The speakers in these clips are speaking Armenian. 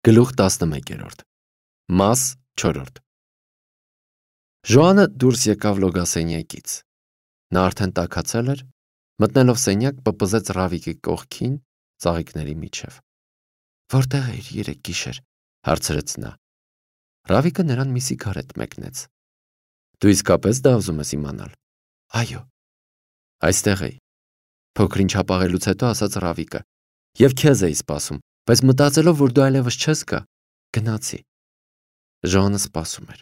Գլուխ 11 Մաս 4 Ժոանը դուրս եկավ լոգասենյակից։ Նա արդեն տաքացել էր, մտնելով սենյակ պպզեց Ռավիկի կողքին ծաղիկների միջև։ Որտեղ էիր երեկ գիշեր, հարցրեց նա։ Ռավիկը նրան մի սիգարետ մեկնեց։ Դու իսկապես դա ուզում ես իմանալ։ Այո։ Այստեղ էի։ Փոքրինչ հապաղելուց հետո ասաց Ռավիկը։ Եվ քեզ էի սպասում, բայց մտածելով, որ դու այլևս չես գա, գնացի։ Ժոանը սպասում էր։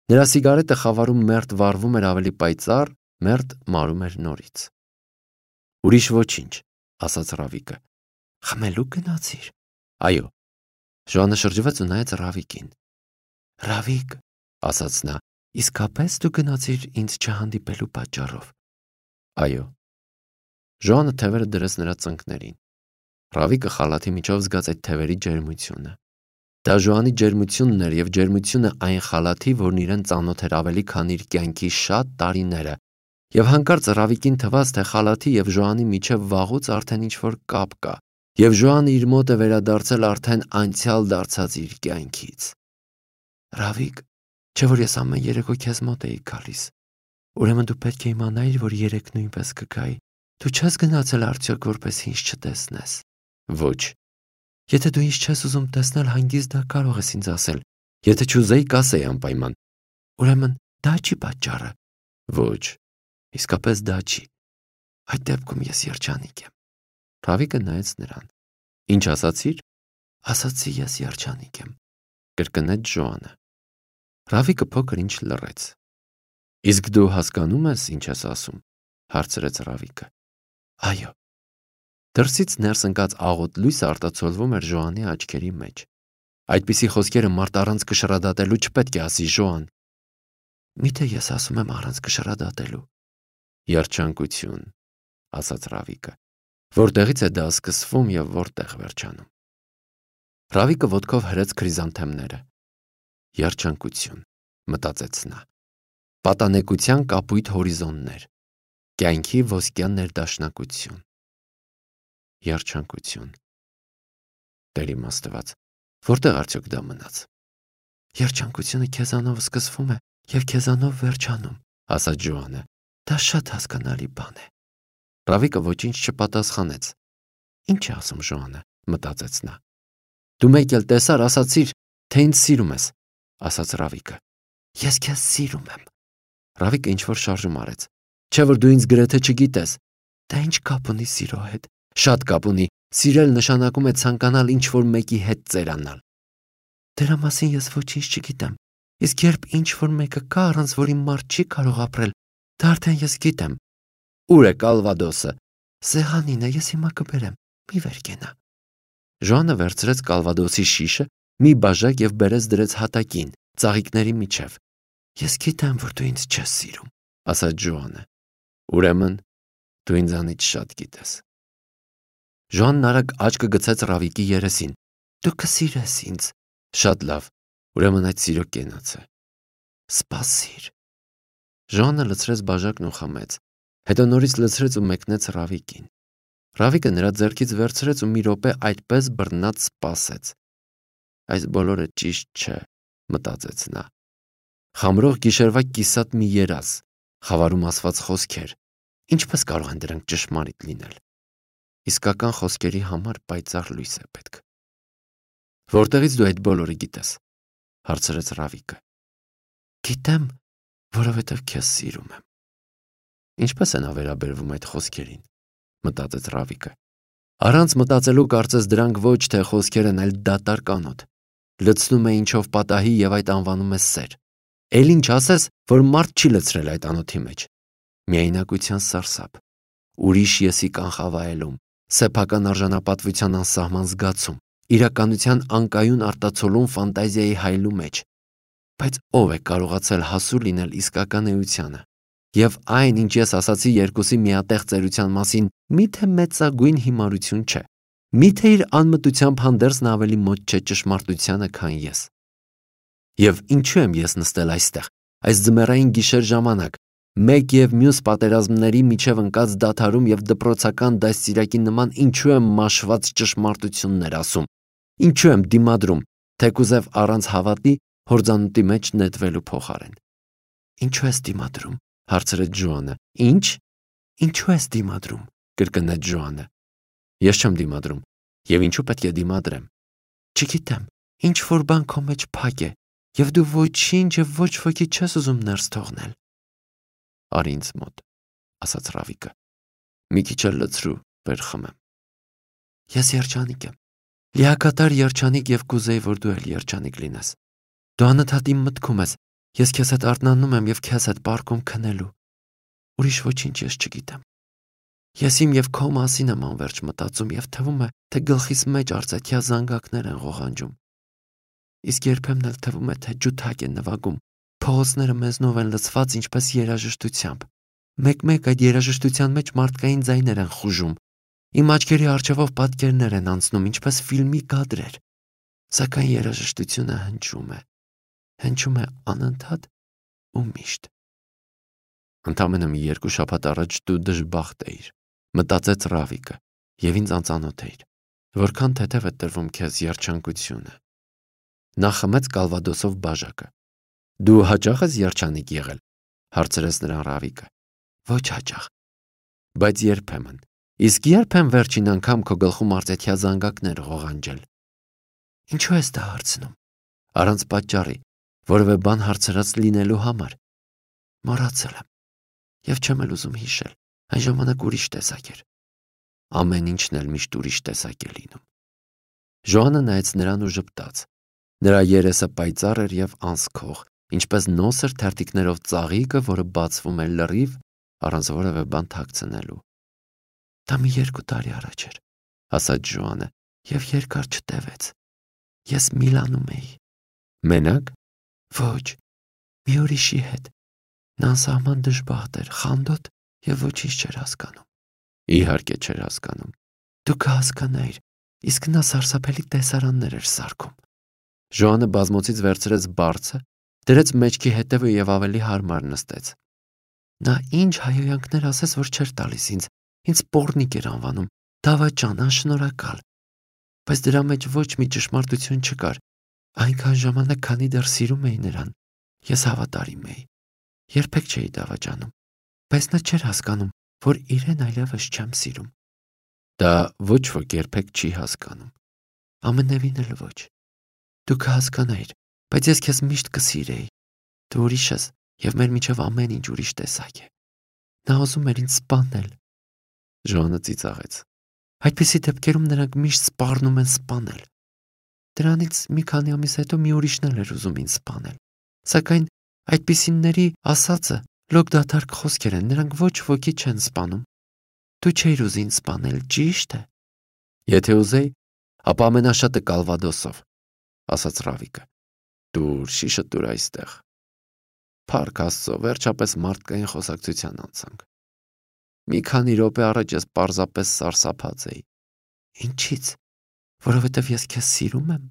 Նրա սիգարետը խավարում մերթ վառվում էր ավելի պայծառ, մերթ մարում էր նորից։ Ուրիշ ոչինչ, ասաց Ռավիկը։ Խմելու գնացիր։ Այո։ Ժոանը շրջվեց ու նայեց Ռավիկին։ Ռավիկ, ասաց նա, իսկապես դու գնացիր ինձ չհանդիպելու պատճառով։ Այո։ Ժոանը թևերը դրեց նրա ծնկներին։ Ռավիկը խալաթի միջով զգաց այդ թևերի ջերմությունը։ Դա Ժոանի ջերմությունն էր և ջերմությունը այն խալաթի, որն իրեն ծանոթ էր ավելի քան իր կյանքի շատ տարիները, և հանկարծ Ռավիկին թվաց, թե խալաթի և Ժոանի միջև վաղուց արդեն ինչ-որ կապ կա, և Ժոանը իր մոտ է վերադարձել արդեն անցյալ դարձած իր կյանքից։ Ռավիկ, չէ՞ որ ես ամեն երեկո քեզ մոտ էի գալիս։ Ուրեմն դու պետք է իմանայիր, որ երեկ նույնպես կգայի։ Դու չես գնացել արդյոք, որպես ինձ չտեսնես։ Ոչ։ Եթե դու ինձ չես ուզում տեսնել, հանգիստ դա կարող ես ինձ ասել։ Եթե չուզեի, կասեի անպայման։ Ուրեմն դա չի պատճառը։ Ոչ։ Իսկապես դա չի։ Այդ դեպքում ես երջանիկ եմ։ Ռավիկը նայեց նրան։ Ինչ ասացիր։ Ասացի ես երջանիկ եմ, կրկնեց Ժոանը։ Ռավիկը փոքր ինչ լռեց։ Իսկ դու հասկանում ես, ինչ ես ասում, հարցրեց Ռավիկը։ Այո։ Դրսից ներս ընկած աղոտ լույսը արտացոլվում էր Ժոանի աչքերի մեջ։ Այդպիսի խոսքերը մարդ առանց կշռադատելու չպետք է ասի Ժոան։ Միթե ես ասում եմ առանց կշռադատելու։ Երջանկություն, ասաց Ռավիկը։ Որտեղից է դա սկսվում և որտեղ վերջանում։ Ռավիկը ոտքով հրեց քրիզանթեմները։ Երջանկություն, մտածեց նա։ Պատանեկության կապույտ հորիզոններ։ Կյանքի ոսկյա ներդաշնակություն։ Երջանկություն։ Տեր իմ Աստված, որտեղ արդյոք դա մնաց։ Երջանկությունը քեզանով սկսվում է և քեզանով վերջանում, ասաց Ժոանը։ Դա շատ հասկանալի բան է։ Ռավիկը ոչինչ չպատասխանեց։ Ինչ է ասում Ժոանը, մտածեց նա։ Դու մեկ էլ տեսար, ասացիր, թե ինձ սիրում ես, ասաց Ռավիկը։ Ես քեզ սիրում եմ։ Ռավիկը ինչ-որ շարժում արեց։ Չէ՞ որ դու ինձ գրեթե չգիտես։ Դա ինչ կապ ունի սիրո հետ։ Շատ կապ ունի։ Սիրել նշանակում է ցանկանալ ինչ-որ մեկի հետ ծերանալ։ Դրա մասին ես ոչինչ չգիտեմ։ Իսկ երբ ինչ-որ մեկը կա, առանց որի մարդ չի կարող ապրել, դա արդեն ես գիտեմ։ Ուր է Կալվադոսը։ Սեղանին է, ես հիմա կբերեմ։ Մի վեր կենա։ Ժոանը վերցրեց Կալվադոսի շիշը, մի բաժակ և բերեց դրեց հատակին, ծաղիկների միջև։ Ես գիտեմ, որ դու ինձ չես սիրում, ասաց Ժոանը։ Ուրեմն դու ինձանից շատ գիտես։ Ժոանն արագ աչքը գցեց Ռավիկի երեսին։ Դու կսիրես ինձ։ Շատ լավ։ Ուրեմն այդ սիրո կենաց է։ Սպասիր։ Ժոանը լցրեց բաժակն ու խմեց։ Հետո նորից լցրեց ու մեկնեց Ռավիկին։ Ռավիկը նրա ձեռքից վերցրեց ու մի րոպե այդպես բռնած սպասեց։ Այս բոլորը ճիշտ չէ, մտածեց նա։ Խամրող գիշերվա կիսատ մի երազ, խավարում ասված խոսքեր։ Ինչպես կարող են դրանք ճշմարիտ լինել։ Իսկական խոսքերի համար պայծառ լույս է պետք։ Որտեղից դու այդ բոլորը գիտես, հարցրեց Ռավիկը։ Գիտեմ, որովհետև քեզ սիրում եմ։ Ինչպես է նա վերաբերվում այդ խոսքերին, մտածեց Ռավիկը։ Առանց մտածելու կարծես դրանք ոչ թե խոսքեր են, այլ դատարկ անոթ։ Լցնում է ինչով պատահի և այդ անվանում է սեր։ Էլ ինչ ասես, որ մարդ չի լցրել այդ անոթի մեջ։ Միայնակության սարսափ, ուրիշ եսի կանխավայելում, սեփական արժանապատվության անսահման զգացում, իրականության անկայուն արտացոլում ֆանտազիայի հայելու մեջ։ Բայց ով է կարողացել հասու լինել իսկական էությանը։ Եվ այն, ինչ ես ասացի երկուսի միատեղ ծերության մասին, միթե մեծագույն հիմարություն չէ։ Միթե իր անմտությամբ հանդերձ նա ավելի մոտ չէ ճշմարտությանը, քան ես։ Եվ ինչու եմ ես նստել այստեղ, այս ձմեռային գիշեր ժամանակ, մեկ և մյուս պատերազմների միջև ընկած դադարում և դպրոցական դաստիարակի նման ինչու եմ մաշված ճշմարտություններ ասում։ Ինչու եմ դիմադրում, թեկուզև առանց հավատի հորձանուտի մեջ նետվելու փոխարեն։ Ինչու ես դիմադրում, հարցրեց Ջոանը։ Ինչու ես դիմադրում, կրկնեց Ջոանը։ Ես չեմ դիմադրում, եւ ինչու պետք է դիմադրեմ։ Չգիտեմ, ինչ որ բան քո մեջ փակ է, եւ դու ոչինչ եւ ոչ ոքի չես ուզում ներս թողնել։ Արի ինձ մոտ, ասաց Ռավիկը։ Մի քիչ էլ լցրու, վեր խմեմ։ Ես երջանիկ եմ։ Լիակատար երջանիկ եւ կուզեի, որ դու էլ երջանիկ լինես։ Դու անընդհատ իմ մտքում ես, ես քեզ հետ արթնանում եմ եւ քեզ հետ պարկում քնելու։ Ուրիշ ոչինչ ես չգիտեմ։ Ես իմ եւ քո մասին եմ անverջ մտածում եւ թվում է, թե գլխիս մեջ արծաթյա զանգակներ են ղողանջում։ Իսկ երբեմն էլ թվում է, թե ջութակ է նվագում, փողոցները մեզնով են լցված ինչպես երաժշտությամբ։ Մեկ-մեկ այդ երաժշտության մեջ մարդկային ձայներ են խուժում։ Իմ աչքերի առջևով պատկերներ են անցնում, ինչպես ֆիլմի կադրեր։ Սակայն երաժշտությունը հնչում է անընդհատ ու միշտ։ Ընդամենը մի 2 շաբաթ առաջ դու դժբախտ էիր, մտածեց Ռավիկը, եւ ինձ անծանոթ էիր։ Որքան թեթև է տրվում քեզ երջանկությունը։ Նա խմեց կալվադոսով բաժակը։ Դու հաճախ ես երջանիկ եղել, հարցրեց նրան Ռավիկը։ Ոչ հաճախ, բայց երբեմն։ Իսկ երբ եմ վերջին անգամ քո գլխում արծաթյա զանգակներ ղողանջել։ Ինչու ես դա հարցնում։ Առանց պատճառի, որևէ բան հարցրած լինելու համար։ Մոռացել եմ։ Եվ չեմ էլ ուզում հիշել, այն ժամանակ ուրիշ տեսակ էր։ Ամեն ինչն էլ միշտ ուրիշ տեսակ է լինում։ Ժոանը նայեց նրան ու ժպտաց։ Նրա երեսը պայծառ էր եւ անսքող, ինչպես նոսր թերթիկներով ծաղիկը, որը բացվում է լրիվ, առանց որևէ բան թաքցնելու։ Դա մի 2 տարի առաջ էր, ասաց Ժոանը, եւ երկար չտևեց։ Ես Միլանում էի։ Մենակ։ Ոչ, մի ուրիշի հետ։ Նա անսահման դժբախտ էր, խանդոտ եւ ոչինչ չէր հասկանում։ Իհարկե չէր հասկանում։ Դու կհասկանայիր, իսկ նա սարսափելի տեսարաններ էր սարքում։ Ժոանը բազմոցից վերցրեց բարձը, դրեց մեջքի հետևը եւ ավելի հարմար նստեց։ Նա ինչ հայոյանքներ ասես, որ չէր տալիս ինձ պոռնիկ էր անվանում, դավաճան, անշնորհակալ։ Բայց դրա մեջ ոչ մի ճշմարտություն չկար։ Այնքան ժամանակ, քանի դեռ սիրում էի նրան, ես հավատարիմ էի։ Երբեք չէի դավաճանում, բայց նա չէր հասկանում, որ իրեն այլևս չեմ սիրում։ Դա ոչ ոք երբեք չի հասկանում։ Ամենևին էլ ոչ։ Դու կհասկանայիր, բայց ես քեզ միշտ կսիրեի։ Դու ուրիշ ես, եւ մեր միջև ամեն ինչ ուրիշ տեսակ է։ Նա ուզում էր ինձ սպանել։ Ժոանը ծիծաղեց։ Այդպիսի դեպքերում նրանք միշտ սպառնում են սպանել։ Դրանից մի քանի ամիս հետո մի ուրիշն էլ էր ուզում ինձ սպանել։ Սակայն այդպիսիների ասածը լոկ դատարկ խոսքեր են, նրանք ոչ ոքի չեն սպանում։ Դու չէիր ուզի ինձ սպանել, ճիշտ է։ Եթե ուզեի, ապա ամենաշատը կալվադոսով, ասաց Ռավիկը։ Դուր, շիշը դուր այստեղ։ Փառք Աստծո, վերջապես մարդկային խոսակցության անցանք։ Մի քանի րոպե առաջ ես պարզապես սարսափած էի։ Ինչից։ Որովհետև ես քեզ սիրում եմ։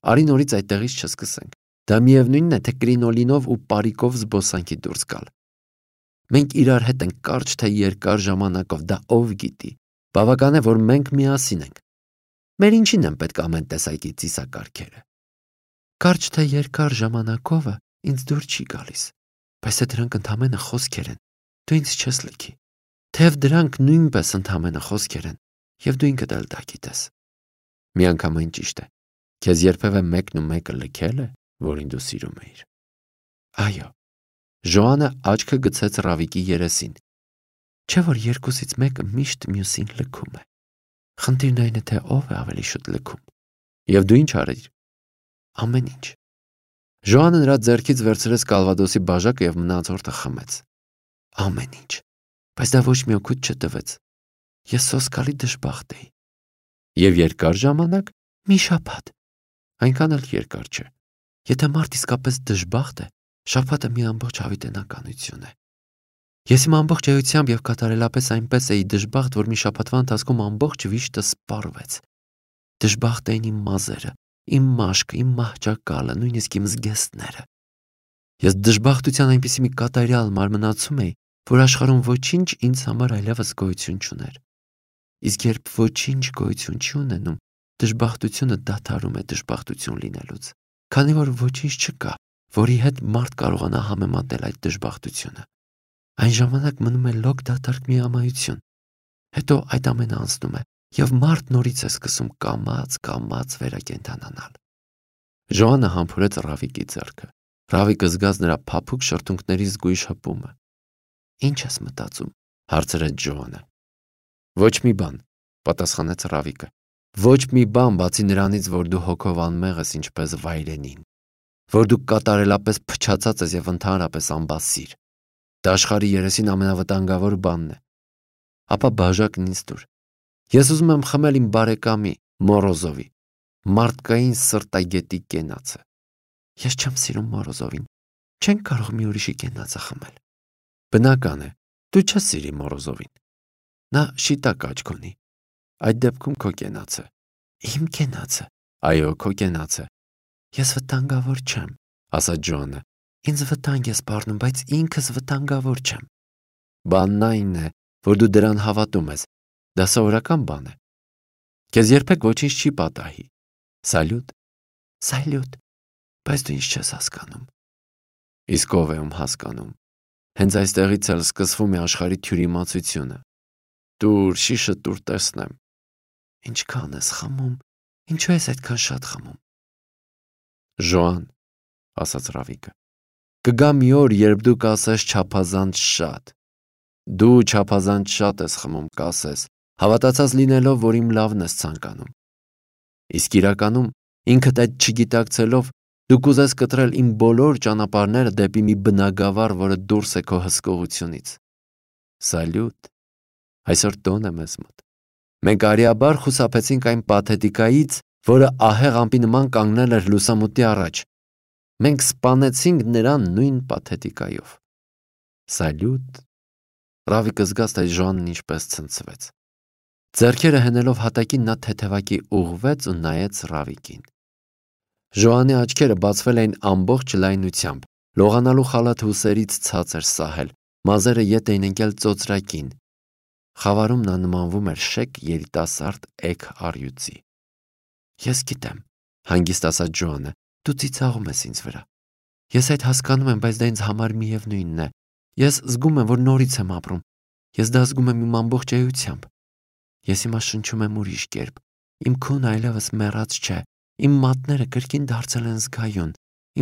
Արի նորից այդտեղից չսկսենք։ Դա միևնույնն է, թե կրինոլինով ու պարիկով զբոսանքի դուրս գալ։ Մենք իրար հետ ենք կարճ թե երկար ժամանակով, դա ով գիտի։ Բավական է, որ մենք միասին ենք։ Մեր ինչին են պետք ամեն տեսակի ծիսակարգերը։ Կարճ թե երկար ժամանակովը ինձ դուր չի գալիս, բայց թե դրանք ընդամենը խոսքեր են, դու ինձ չես լքի։ Թեև դրանք նույնպես ընդամենը խոսքեր են, եւ դու ինքդ էլ դա գիտես։ Միանգամայն ճիշտ է։ Քեզ երբևէ մեկն ու մեկը լքել է, որին դու սիրում էիր։ Այո։ Ժոանը աչքը գցեց Ռավիկի երեսին։ Չէ՞ որ երկուսից մեկը միշտ մյուսին լքում է։ Խնդիրն այն է, թե ով է ավելի շուտ լքում։ Եվ դու ինչ արիր։ Ամեն ինչ։ Ժոանը նրա ձեռքից վերցրեց կալվադոսի բաժակը եւ մնացորդը խմեց։ Ամեն ինչ։ Բայց դա ոչ մի օգուտ չտվեց։ Ես սոսկալի դժբախտ էի։ Եվ երկար ժամանակ մի շաբաթ։ Այնքան էլ երկար չէ։ Եթե մարդ իսկապես դժբախտ է, շաբաթը մի ամբողջ հավիտենականություն է։ Ես իմ ամբողջ էությամբ եւ կատարելապես այնպես էի դժբախտ, որ մի շաբաթվա ընթացքում ամբողջ վիշտը սպառվեց։ Դժբախտ էին իմ մազերը, իմ մաշկը, իմ մահճակալը, նույնիսկ իմ զգեստները։ Ես դժբախտության այնպիսի մի կատարյալ մարմնացում էի, որ աշխարհում ոչինչ ինձ համար այլևս գոյություն չուներ։ Իսկ երբ ոչինչ գոյություն չի ունենում, Դժբախտությունը դադարում է դժբախտություն լինելուց, քանի որ ոչինչ չկա, որի հետ մարդ կարողանա համեմատել այդ դժբախտությունը։ Այն ժամանակ մնում է լոկ դատարկ միամայություն։ Հետո այդ ամենը անցնում է, եւ մարդ նորից է սկսում կամաց վերակենդանանալ։ Ժոանը համբուրեց Ռավիկի ձեռքը։ Ռավիկը զգաց նրա փափուկ շրթունքների զգույշ հպումը։ «Ինչ ես մտածում», հարցրեց Ժոանը։ «Ոչ մի բան», պատասխանեց Ռավիկը։ «Ոչ մի բան, բացի նրանից, որ դու հոգով անմեղ ես ինչպես վայրենին, որ դու կատարելապես փչացած ես եւ ընդհանրապես անբասիր։ Դա աշխարհի երեսին ամենավտանգավոր բանն է։ Ապա բաժակն ինձ տուր։ Ես ուզում եմ խմել իմ բարեկամի Մորոզովի մարդկային սրտագետի կենացը։ Ես չեմ սիրում Մորոզովին։ Չենք կարող մի ուրիշի կենացը խմել»։ «Բնական է, դու չես սիրի Մորոզովին։ Նա շիտակ աչք ունի։ Այդ դեպքում քո կենացը»։ «Իմ կենացը»։ «Այո, քո կենացը»։ «Ես վտանգավոր չեմ», ասաց Ժոանը։ «Ինձ վտանգ է սպառնում, բայց ինքս վտանգավոր չեմ»։ «Բանն այն է, որ դու դրան հավատում ես։ Դա սովորական բան է։ Քեզ երբեք ոչինչ չի պատահի։ Սալյուտ»։ «Սալյուտ, բայց դու ինձ չես հասկանում»։ «Իսկ ով է ում հասկանում։ Հենց այստեղից էլ սկսվում է աշխարհի թյուրիմացությունը։ Տուր, շիշը տուր տեսնեմ»։ «Ինչքան ես խմում, ինչու ես այդքան շատ խմում»։ «Ժոան», ասաց Ռավիկը, «կգա մի օր, երբ դու կասես չափազանց շատ։ Դու չափազանց շատ ես խմում, կասես, հավատացած լինելով, որ իմ լավն ես ցանկանում։ Իսկ իրականում, ինքդ այդ չգիտակցելով, դու կուզես կտրել իմ բոլոր ճանապարհները դեպի մի բնագավառ, որը դուրս է քո հսկողությունից։ Սալյուտ, այսօր տոն է մեզ մոտ։ Մենք արիաբար խուսափեցինք այն պաթետիկայից, որը ահեղ ամպի նման կանգնել էր լուսամուտի առաջ։ Մենք սպանեցինք նրան նույն պաթետիկայով։ Սալյուտ»։ Ռավիկը զգաց, թե Ժոանն ինչպես ցնցվեց։ Ձեռքերը հենելով հատակին նա թեթևակի ուղղվեց ու նայեց Ռավիկին։ Ժոանի աչքերը բացվել էին ամբողջ լայնությամբ, լողանալու խալաթ հուսերից ցած էր սահել, մազերը ետ էին ընկել ծոծրակին։ Խավարում նա նմանվում էր շեք երիտասարդ էգ առյուծի։ «Ես գիտեմ», հանգիստ ասաց Ժոանը, «դու ծիծաղում ես ինձ վրա։ Ես այդ հասկանում եմ, բայց դա ինձ համար միևնույնն է։ Ես զգում եմ, որ նորից եմ ապրում։ Ես դա զգում եմ իմ ամբողջ էությամբ։ Ես հիմա շնչում եմ ուրիշ կերպ։ Իմ քունը այլևս մեռած չէ։ Իմ մատները կրկին դարձել են զգայուն։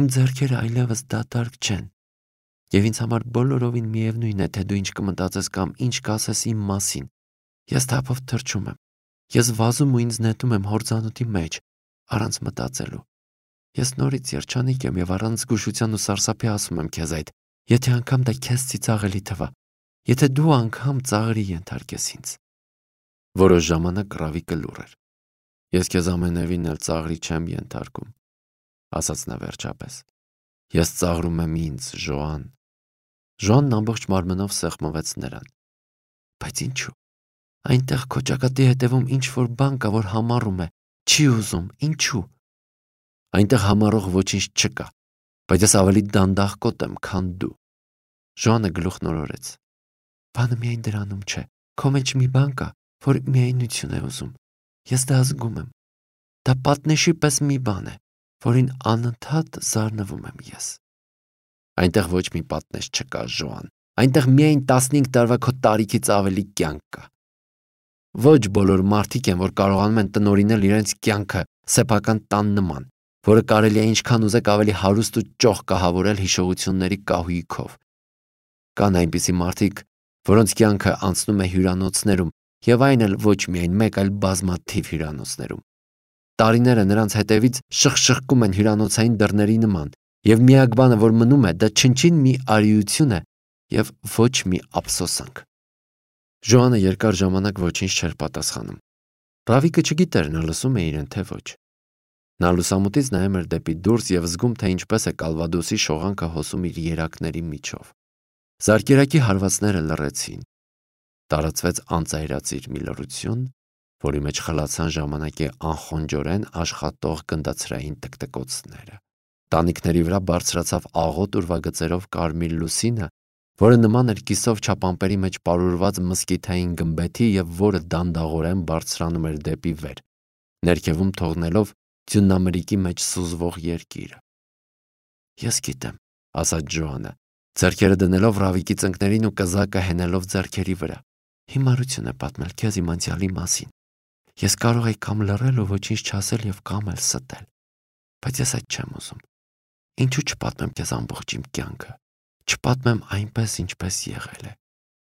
Իմ ձեռքերը այլևս դատարկ չեն։ Եվ ինձ համար բոլորովին միևնույն է, թե դու ինչ կմտածես կամ ինչ կասես իմ մասին։ Ես թափով թռչում եմ։ Ես վազում ու ինձ նետում եմ հորձանուտի մեջ, առանց մտածելու։ Ես նորից երջանիկ եմ եւ առանց զգուշության ու սարսափի ասում եմ քեզ այդ, եթե անգամ դա քեզ ծիծաղելի թվա, եթե դու անգամ ծաղրի ենթարկես ինձ»։ Որոշ ժամանակ Ռավիկը լուռ էր։ «Ես քեզ ամենևին էլ ծաղրի չեմ ենթարկում», ասաց նա վերջապես։ «Ես ծաղրում եմ ինձ, Ժոան»։ Ժոանն ամբողջ մարմնով սեղմվեց նրան։ «Բայց ինչու։ Այնտեղ քո ճակատի հետևում ինչ-որ բան կա, որ համառում է, չի ուզում, ինչու»։ «Այնտեղ համառող ոչինչ չկա, բայց ես ավելի դանդաղկոտ եմ, քան դու»։ Ժոանը գլուխ նորորեց։ «Բանը միայն դրանում չէ, քո մեջ մի բան կա, որ միայնություն է ուզում։ Ես դա զգում եմ։ Դա պատնեշի պես մի բան է, որին անընդհատ զարնվում եմ ես»։ «Այնտեղ ոչ մի պատնեշ չկա, Ժոան։ Այնտեղ միայն 15 տարվա քո տարիքից ավելի կյանք կա։ Ոչ բոլոր մարդիկ են, որ կարողանում են տնօրինել իրենց կյանքը սեփական տան նման, որը կարելի է ինչքան ուզեք ավելի հարուստ ու ճոխ կահավորել հիշողությունների կահույքով։ Կան այնպիսի մարդիկ, որոնց կյանքը անցնում է հյուրանոցներում, եւ այն էլ ոչ միայն մեկ, այլ բազմաթիվ հյուրանոցներում։ Տարիները նրանց հետևից շխշխկում են հյուրանոցային դռների նման, եւ միակ բանը, որ մնում է, դա չնչին մի արիություն է եւ ոչ մի ափսոսանք։ Ժոանը երկար ժամանակ ոչինչ չէր պատասխանում։ Ռավիկը չգիտեր նա լսում է իրեն թե ոչ։ Նա լուսամուտից նայում էր դեպի դուրս եւ զգում, թե ինչպես է Կալվադոսի շողանքը հոսում իր երակների միջով։ Զարկերակի հարվածները լռեցին։ Տարածվեց անծայրածիր մի լռություն, որի մեջ խլացան ժամանակի անխոնջորեն աշխատող գնդացրային տկտկոցները։ Տանիքների վրա բարձրացավ աղոտ ուրվագծերով կարմիր լուսինը, որը նման էր կիսով չափամպերի մեջ պարուրված մսկիթային գմբեթի եւ որը դանդաղորեն բարձրանում էր դեպի վեր։ ներքևում թողնելով ձյունամրիկի մեջ սուզվող երկիրը։ Ես գիտեմ, ասաց Ջոանը, ձեռքերը դնելով Ռավիկի ծնկներին ու կզակը հենելով ձեռքերի վրա։ Հիմարություն է պատմել քեզ իմ անցյալի մասին։ Ես կարող եի կամ լռել ու ոչինչ չասել եւ կամ էլ ստել, բայց ես այդ չեմ ուզում։ Ինչու չպատմեմ քեզ ամբողջ իմ կյանքը, չպատմեմ այնպես, ինչպես եղել է։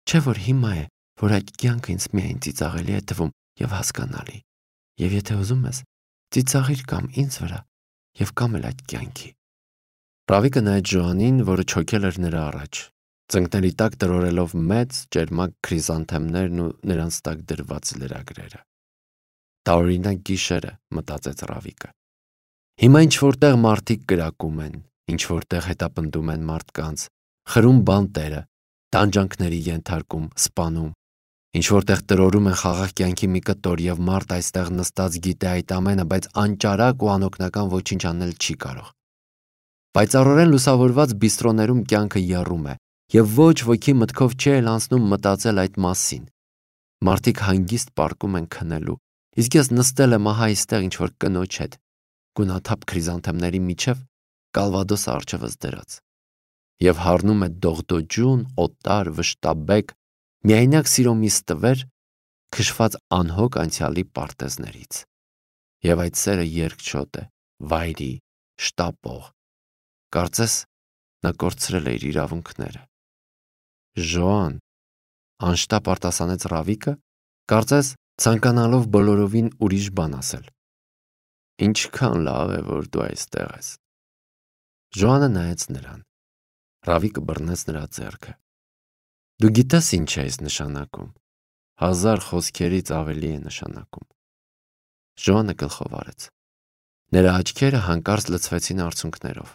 Չէ՞ որ հիմա է, որ այդ կյանքը ինձ միայն ծիծաղելի է թվում եւ հասկանալի։ Եվ եթե ուզում ես, ծիծաղիր կամ ինձ վրա եւ կամ էլ այդ կյանքի։ Ռավիկը նայեց Ջոանին, որը չոքել էր նրա առաջ, ծնկների տակ տրորելով մեծ ճերմակ քրիզանթեմներն ու նրանց տակ դրված լրագրերը։ Տարօրինակ գիշերը, մտածեց Ռավիկը։ Հիմա ինչ որտեղ մարդիկ կրակում են, ինչ որտեղ հետապնդում են մարդկանց, խրում բանտերը, տանջանքների ենթարկում, սպանում, ինչ որտեղ տրորում են խաղաղ կյանքի մի կտոր եւ մարդ այստեղ նստած գիտե այդ ամենը, բայց անճարակ ու անօգնական ոչինչ անել չի կարող։ Պայծառորեն լուսավորված բիստրոներում կյանքը եռում է եւ ոչ ոքի մտքով չի էլ անցնում մտածել այդ մասին։ Մարդիկ հանգիստ պառկում են քնելու, իսկ ես նստել եմ ահա այստեղ ինչ որ կնոջ հետ, գունաթափ քրիզանթեմների միջև կալվադոսը առջևս դրած։ Եվ հառնում է դողդոջուն, օտար, վշտաբեկ, միայնակ սիրո մի ստվեր, քշված անհոգ անցյալի պարտեզներից։ Եվ այդ սերը երկչոտ է, վայրի, շտապող։ Կարծես նա կորցրել է իր իրավունքները։ Ժոան, անշտապ արտասանեց Ռավիկը, կարծես ցանկանալով բոլորովին ուրիշ բան ասել։ Ինչքան լավ է, որ դու այստեղ ես։ Ժոանը նայեց նրան։ Ռավիկը բռնեց նրա ձեռքը։ Դու գիտես ինչ է այս նշանակում։ 1000 խոսքերից ավելի է նշանակում։ Ժոանը գլխով արեց։ Նրա աչքերը հանկարծ լցվեցին արցունքներով։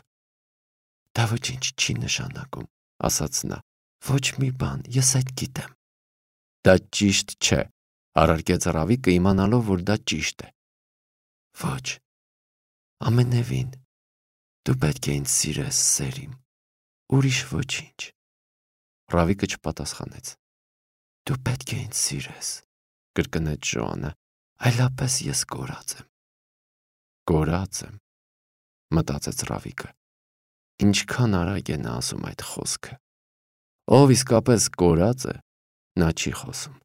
Դա ոչինչ չի նշանակում, ասաց նա։ Ոչ մի բան, ես այդ գիտեմ։ Դա ճիշտ չէ, առարկեց Ռավիկը, իմանալով, որ դա ճիշտ է։ Ոչ, ամենևին, դու պետք է ինձ սիրես, սերիմ, ուրիշ ոչինչ։ Ռավիկը չպատասխանեց։ Դու պետք է ինձ սիրես, կրկնեց Ժոանը, այլապես ես կորած եմ։ Կորած եմ, մտածեց Ռավիկը։ Ինչքան արագ է նա ասում այդ խոսքը։ Ով իսկապես կորած է, նա չի խոսում։